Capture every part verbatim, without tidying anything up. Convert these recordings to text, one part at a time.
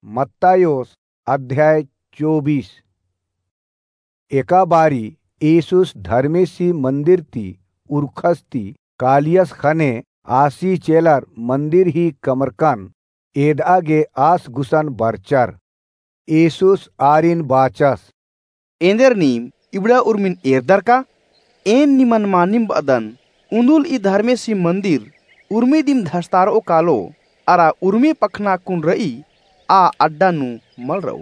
मत्तायोस अध्याय चौबीस। एका बारी येसुस धर्मेसी मन्दिर ती उरखस ती कालियस ख़ने आसी चेलर मन्दिर ही कमरकन एदआ गे आस गुसन बरचर। येसुस आरिन बाचस, एन्देर नीम इबड़ा उर्मिन एरदर का? एन निमन मानिम बअदन, उन्दुल ई धर्मेसी मन्दिर उर्मी दिम धसतारओ कालो, अरा उर्मी पखना कुन रई, आ अड्डा नू मल रओ।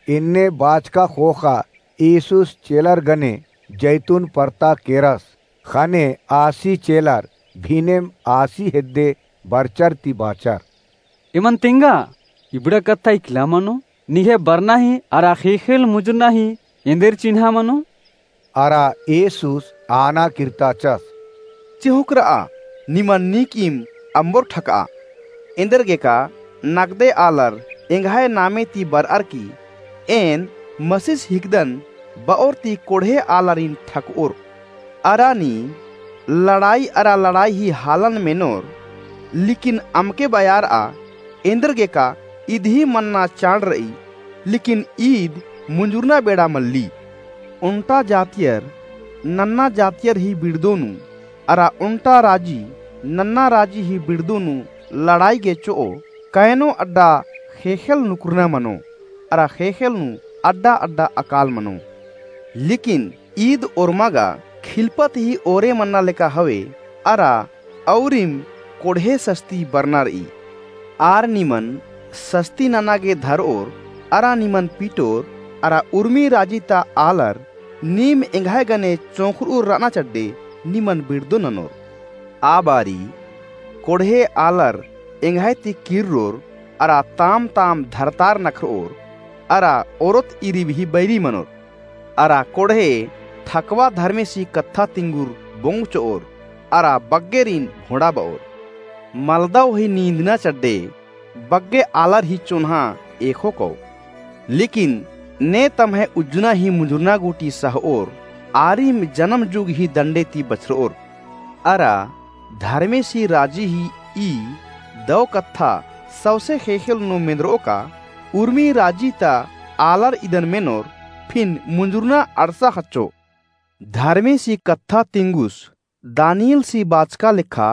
एन्ने बाचका ख़ोख़ा येसुस चेलर गने जैतून परता केरस, ख़ने आसी चेलर भिनेम आसी हेद्दे बरचर ती बाचर। एमन तेंगा, इबड़ा कत्था इकला मनो, निंग्है बरना ही अरा ख़ेख़ेल मुंजुरना ही एन्देर चिन्हा मनो? अरा येसुस आना किर्ताचस, चिहुंक रआ, निमन नीकिम अम्बोर ठकआ। एन्देरगेका नगदे आलर एंग्है नामे ती बरअर की एन मसीस हिकदन बओर ती कोड़हे आलारिन ठकओर। अरा नीम लड़ाई अरा लड़ाई ही हालन मेनोर, लेकिन अमके बयारआ, एन्देरगेका ईद ही मन्ना चाड़ रई, लेकिन ईद मुंजुरना बेड़ा मल्ली। ओन्टा जातियर नन्ना जातियर ही बिड़दो नू, अरा ओन्टा राजी नन्ना राजी ही बिड़दो नू लड़ाई गे चिओ, कयनो अड्डा ख़ेख़ेल नुकुरना मनो, अरा ख़ेख़ेल नू अड्डा अड्डा अकाल मनो। लेकिन ईद ओर्मा गा खिलपत ही ओरे मन्ना लेका हवे, अरा औरिम कोड़हे सस्ती बरना रई। आर निमन सस्ती नना गे धरओर, अरा निमन पीटोर, अरा उर्मी राजी ता आलर नीम एंग्है गने चोंख़रउर रअना चड्डे निमन बिड़दो ननोर। आ बारी कोड़हे आलर एंग्है ती किर्रोर, अरा ताम ताम धरतार नखरओर, अरा ओरोत ईरिब ही बैरी मनोर। अरा कोड़हे ठकवा धर्मेसी कत्था तिंगुर बोंग चिओर, अरा बग्गेरिन भोंड़ा बओर। मलदव ही नींदना चड्डे बग्गे आलर ही चोन्हा एख़ो कओ। लेकिन ने तम्है उज्जना ही मुंजुरना गूटी सहओर, आरिम जनम जुग ही दंडे ती बछरओर। अरा धर्मेसी राजी ही ई दव कत्था सौंसे ख़ेख़ेल नू मेंदरओ का, उर्मी राजी ता आलर इदन मेनोर, फिन मुंजुरना अंड़सा ख़च्चो। धर्मेसी कत्था तिंगुस दानिएलसी बाचका लेखा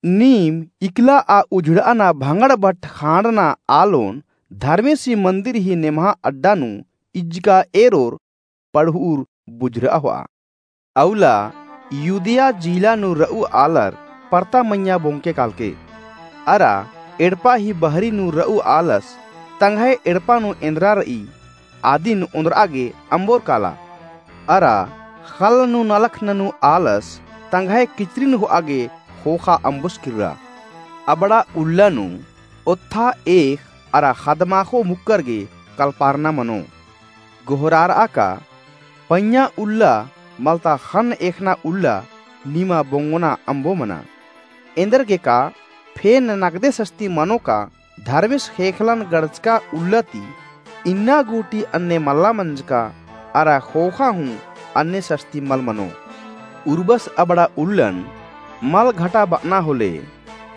नीम इकला आ उझड़ाना भंगड़ भट ख़ांड़ना आलोन धर्मेसी मन्दिर ही नेम्हा अड्डा नू इज्जका एरोर पड़हुर बुझरआ होआ। अउला युदिया जिला नू रऊ आलर परता मइय्याँ बोंगके कालके। अरा एड़पा ही बहरी नू रऊ आलस तंग्है एड़पा नू एन्दरा रई, आदिन ओन्दरआ गे अम्बोर काला। अरा ख़ल्ल नू नलख ननू आलस तंग्है किचरिन होआ गे ख़ोख़ा अम्बोस किर्रा। अबड़ा उल्ला नू ओत्था एख़ अरा ख़द्माख़ो मुक्कर गे कलपारना मनो। गोहरारआ का, पइय्याँ उल्ला मलता ख़न्न एख़ना उल्ला निमा बोंगोना अम्बो मना। एन्देरगेका फेन नगदे सस्ती मनो का धर्मेस ख़ेख़ेलन गड़चका उल्ला ती इन्ना गूटी अन्ने मल्ला मंजका अरा ख़ोख़ा हूँ अन्ने सस्ती मल मनो। उर्बस अबड़ा उल्लन मल घटा बअना होले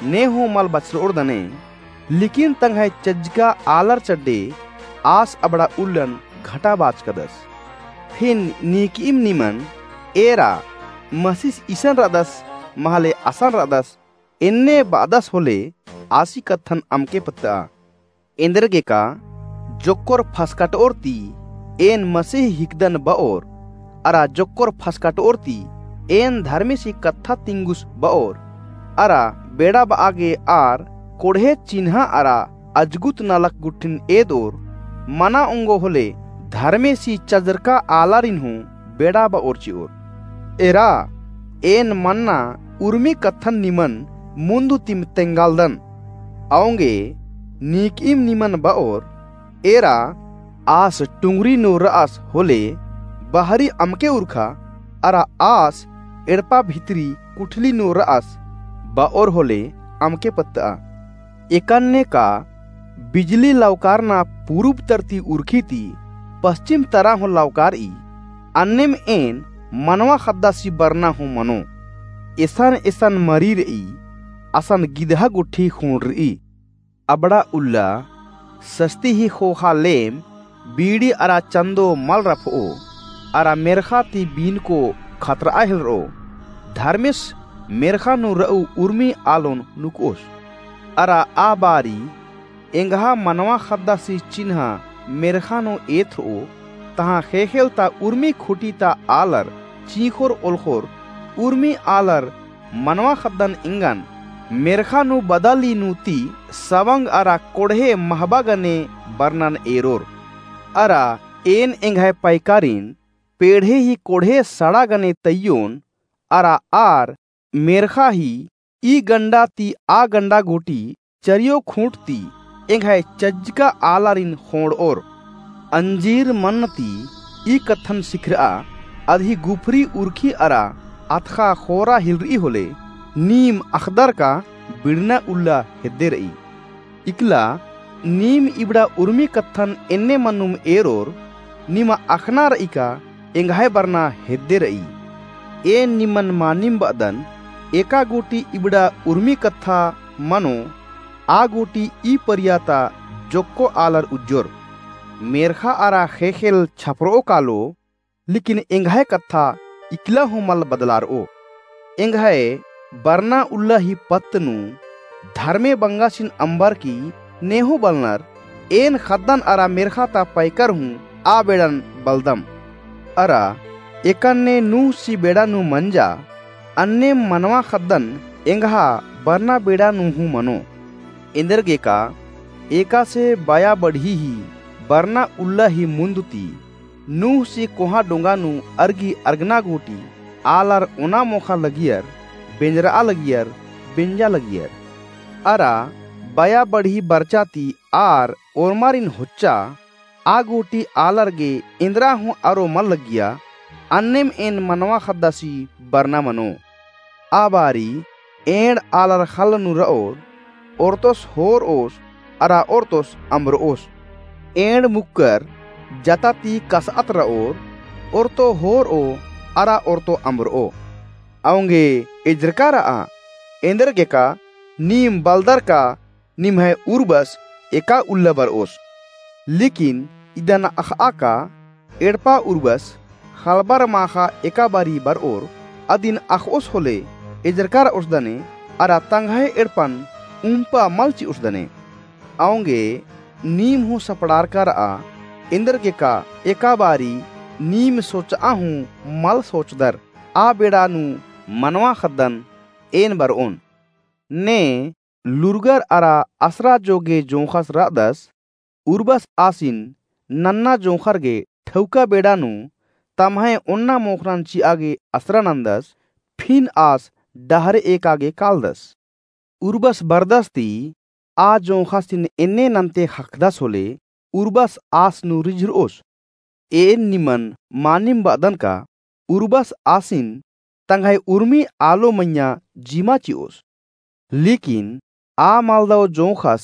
ने हूँ मल बछरओर दने, लेकिन तंग्है चज्जका आलर चड्डे आस अबड़ा उल्लन घटा बाचकदस। फिन नीकिम निमन एरा मसीस इसन रअदस महले असन रअदस एन्ने बअदस होले आसी कत्थन अमके पत्तआ। एन्देरगेका जोक्कोर फसकटओर ती एन मसीह हिकदन बओर, अरा जोक्कोर फसकटओर ती एन धर्मेसी कत्था तिंगुस बओर, अरा बेड़ा बआ गे आर कोड़हे चिन्हा अरा अजगुत नलख गुट्ठिन एदओर, मना ओंगो होले धर्मेसी चजरका आलारिन हूँ बेड़ा बओर चिओर। एरा, एन मन्ना उर्मी कत्थन निमन मुन्दु तिम तेंगालदन। औंगे नीकिम निमन बओर, एरा आस टुंगरी नू रअस होले बहरी अमके उरखा, अरा आस एड़पा भितरी कुठली नू रअस बओर होले अमके पत्तआ। एकन्ने का बिजली लौकारना पूरुब तरती उरखी ती पश्चिम तरा हूँ लौकारई, अन्नेम एन मनवा ख़द्दासी बरना हूँ मनो। एसन एसन मरी रई, असन गिदहा गुट्ठी ख़ूँड़ रई। अबड़ा उल्ला सस्ती ही ख़ोख़ा लेम, बीड़ी अरा चंदो मल रफओ, अरा मेर्ख़ा ती बीनको खतरआ हेलरओ। धर्मेस मेर्ख़ा नू रऊ उर्मी आलोन नुकओस। अरा आ बारी एंग्हा मनवा ख़द्दासी चिन्हा मेर्ख़ा नू एथरओ, तहाँ ख़ेख़ेल ता उर्मी खुटी ता आलर चींख़ोर ओलख़ोर, उर्मी आलर मनवा ख़द्दन एंगन मेर्ख़ा नू बदाली नू ती सवंग अरा कोड़हे महबा गने बरनन एरोर। अरा एन एंग्है पैकारिन पेड़हे ही कोड़हे सड़ा गने तइयोन, अरा आर मेर्ख़ा ही ई गंडा ती आ गंडा गूटी चरियो खूंट ती एंग्है चज्जका आलारिन ख़ोंड़ओर। अंजीर मन्न ती ई कत्थन सिखरआ, अदही गुफरी उरखी अरा अतख़ा ख़ोरा हिलरई होले, नीम अख़दर का बिड़ना उल्ला हेद्दे रई। इकला नीम इबड़ा उर्मी कत्थन एन्ने मन्नुम एरोर, निमा अख़ना रई का एंग्है बरना हेद्दे रई। एन निमन मानिम बअदन, एका गूटी इबड़ा उर्मी कत्था मनो, आ गूटी ई परिया ता जोक्को आलर उज्जोर। मेर्ख़ा अरा ख़ेख़ेल छपरओ कालो, लेकिन एंग्है कत्था इकला हूँ मल बदलारओ। एंग्है बरना उल्ला ही पत्त नू धर्मे बंगासिन अम्बर की नेहूँ बलनर, एन ख़द्दन अरा मेर्ख़ा ता पैकर हूँ आ बेड़न बलदम। अरा एकन्ने नूहसी बेड़ा नू मंजा, अन्नेम मनवा ख़द्दन एंग्हा बरना बेड़ा नू हूँ मनो। एन्देरगेका एकासे बया बढ़ी ही बरना उल्ला ही मुन्द ती नूहसी कोहाँ डोंगा नू अरगी अरगना गूटी आलर ओना मोख़ा लगियर, बेंजरआ लगियर, बेंजा लगियर। अरा बया बढ़ी बरचा ती आर ओर्मारिन होच्चा, आ गूटी आलर गे एन्दरा हूँ अरो मल लगिया, अन्नेम एन मनवा ख़द्दासी बरना मनो। आ बारी एंड़ आलर ख़ल्ल नू रओर, ओर्तोस होरओस अरा ओर्तोस अम्बरओस। एंड़ मुक्कर जता ती कसअत रओर, ओर्तो होरओ अरा ओर्तो अम्बरओ। औंगे एजरका रआ, एन्देरगेका नीम बलदर का निम्है उर्बस एका उल्ला बरओस। लेकिन इदन अख़आ का एड़पा उर्बस ख़लबर माख़ा एका बारी बरओर, अदिन अख़ओस होले एजरका रओस दने, अरा तंग्है एड़पन उम्पा मल चिओस दने। औंगे नीम हूँ सपड़ारका रआ, एन्देरगेका एका बारी नीम सोचआ हूँ मल सोचदर, आ बेड़ा नू मनवा ख़द्दन एन बरओन। ने लूरगर अरा असरा जोगे जोंख़स रअदस, उर्बस आसिन नन्ना जोंख़र गे ठौका बेड़ा नू तम्है ओन्ना मोख़रन चिआ गे असरा नन्दस, फिन आस डहरे एका गे कालदस। उर्बस बरदस ती आ जोंख़सिन एन्ने नन्ते ख़क्खदस होले, उर्बस आस नू रिझरओस। एन निमन मानिम बअदन का उर्बस आसिन तंग्है उर्मी आलो मइय्याँ जिमा चिओस। लेकिन आ मलदव जोंख़स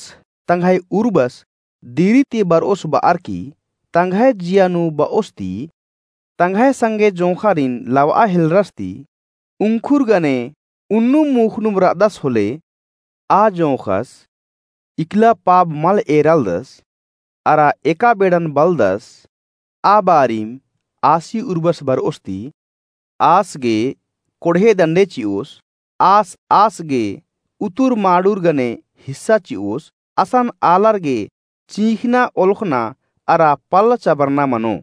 तंग्है उर्बस दिरी ती बरओस बअर की तंग्है जिया नू बओस ती तंग्है संगे जोंख़ारिन लवआ हेलरस ती उंखुर गने उन्नुम मुख़नुम रअदस होले, आ जोंख़स इकला पाब मल एरालदस, अरा एका बेड़न बलदस, आ बारिम आसी उर्बस बरओस ती, आस गे कोड़हे दंडे चिओस, आस आस गे उतुर माड़ुर गने हिस्सा चिओस, असन आलर गे चींख़ना ओलख़ना अरा पल्ल चबरना मनो।